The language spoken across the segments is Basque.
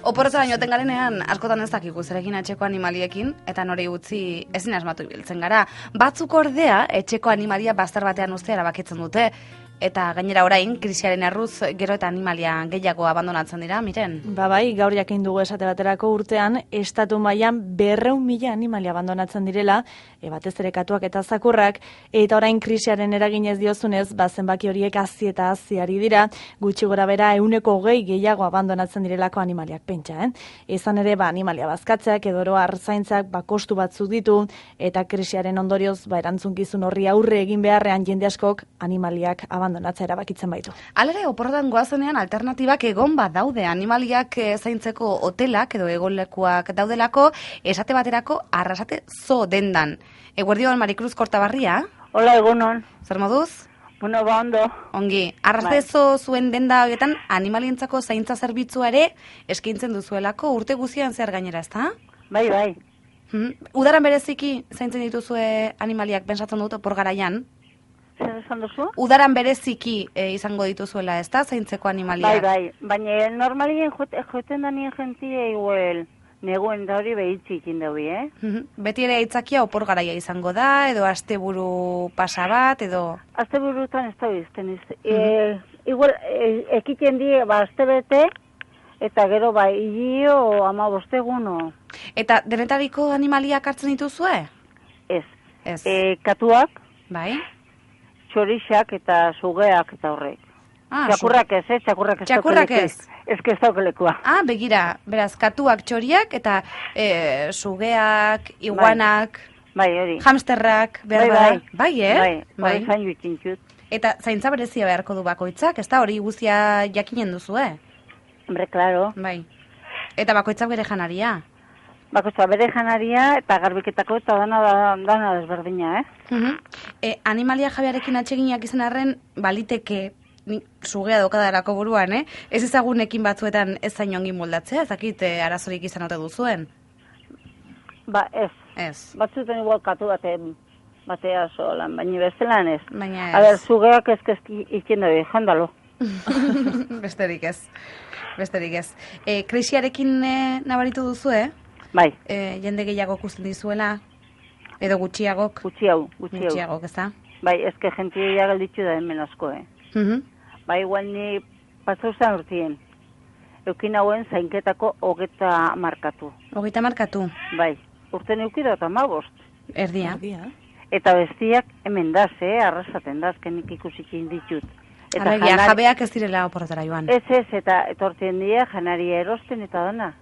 Oporretara joaten garenean, askotan ez dakigu zerekin etxeko animaliekin, eta nori utzi ezin asmatu ibiltzen gara. Batzuk ordea, etxeko animalia bazter batean uztea erabakitzen dute, eta gainera orain, krisiaren erruz, gero eta animalia gehiago abandonatzen dira, Miren? Bai, gaur jakin dugu esate baterako urtean, estatu mailan 200.000 animalia abandonatzen direla, batez ere katuak eta zakurrak, eta orain krisiaren eraginez diozunez, zenbaki horiek hazi eta haziari dira, gutxi gora bera 120 gehiago abandonatzen direlako animaliak pentsa, Izan ere, animalia bazkatzeak edo oro arzaintzak kostu batzuk ditu, eta krisiaren ondorioz, erantzunkizun horri aurre egin beharrean jende askok animaliak abandonatzea erabakitzen baitu. Halere, oporretan goazenean alternatibak egon badaude animaliak zaintzeko hotelak edo egonlekuak daudelako, esate baterako Arrasate Zoo dendan. Eguerdion, Marikruz Kortabarria? Hola, egunon. Zer moduz? Bueno, ondo. Ongi. Arrasate Zoo zuen denda horietan animalientzako zaintza zerbitzua ere eskaintzen duzuelako urte guztian zehar gainera, ezta? Bai. Udaran bereziki zaintzen dituzue animaliak pensatzen dut opor garaian? Zer esan duzu? Udaran bereziki izango dituzuela, ezta? Zaintzeko animaliak. Bai. Baina normalien joeten da nien jentia igual neguen da hori behitzikin daui, Beti ere aitzakia opor garaia izango da, edo asteburu pasa bat, edo... Asteburutan ez da bizten. Igual, ekiten die, astebete, eta gero hilio 15 egun. Eta denetariko animaliak hartzen dituzue? Ez. Ez. Katuak, Bai? txorixak eta sugeak eta horrek. Txakurrak ez, Txakurrak ez? Ez que ez daukelekua. Begira, beraz, katuak, txoriak, eta sugeak, iguanak, Bai, hori. hamsterrak, behar Bai. Bai, Bai, zain jutzintxut. Eta zaintza berezia beharko du bakoitzak, ez da hori guztia jakinen duzue? Hombre, claro. Bai. Eta bakoitzak bere janaria? Bakoitza bere janaria eta garbiketako eta dana desberdina, Animalia jabearekin atseginak izan arren, baliteke sugea dokadarako buruan, Ez ezagunekin batzuetan ez zain ongi moldatzea, ez dakit arazorik izan ote duzuen? Ba, ez. Ez. Batzuten igual katu batea solan, baina bestelan ez. Baina ez. A ber, sugeak ezkezki ikien dabe, jandalo. Besterik ez. Krisiarekin nabaritu duzu, Bai. Jende gehiago ikusten dizuela, edo gutxiagok? Gutxiagok, ez da? Bai, ezke jentia galditzu da hemen asko, Bai, igual ni pasauzan urtien. Eukin hauen zainketako 30 markatu. 30 markatu? Bai, urten eukida eta 15. Erdia. Eta bestiak hemen daz, arrasaten daz, kenik ikusikin ditut. Arregia, jabeak ez direla oporretara joan. Ez, eta etortzen dira janaria erosten eta dana.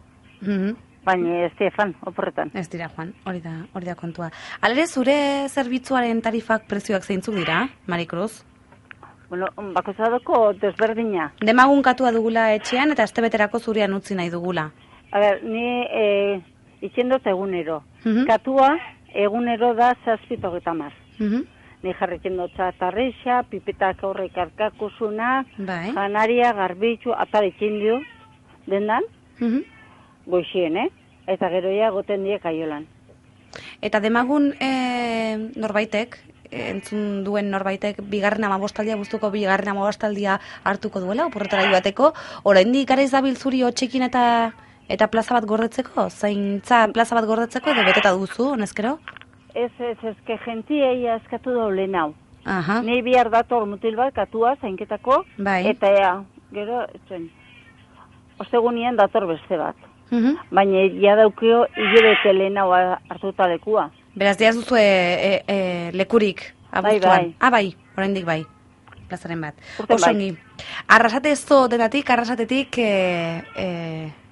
Baina ez Stefan, oporretan. Ez dira, Juan, hori da kontua. Alere, zure zerbitzuaren tarifak prezioak zeintzuk dira, Marikruz? Bueno, bakoitzadoko desberdina. Demagun katua dugula etxean eta astebeterako zurean utzi nahi dugula. A ber, ni itxendot egunero. Katua egunero da 730. Ni jarretzen dut tarrixa, pipetak horrek arkakusuna, janaria, garbitzu, atarekin dio, dendan, goixien, eta geroia goten die kaiolan. Eta demagun norbaitek, entzun duen norbaitek, bigarren 15aldia, guztuko bigarren 15aldia hartuko duela, oporretara joateko, oraindik gara izabil zuri hotxekin eta plaza bat gordetzeko? Zaintza plaza bat gordetzeko edo beteta duzu, honezkero? Ez, ezke gentiei askatu daulen hau. Aha. Nei bihar dator mutil bat katua zainketako, eta gero, ostegunien dator beste bat. Baina ja daukio hilabete lehen hau hartuta lekua. Beraz, diaz duzu lekurik abuztuan? Bai. Oraindik bai, plazaren bat. Osongi. Arrasate Zoo Arrasatetik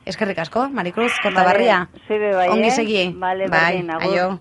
eskerrik asko, Marikruz Kortabarria. Bai. Ongi segi. Bai, aio.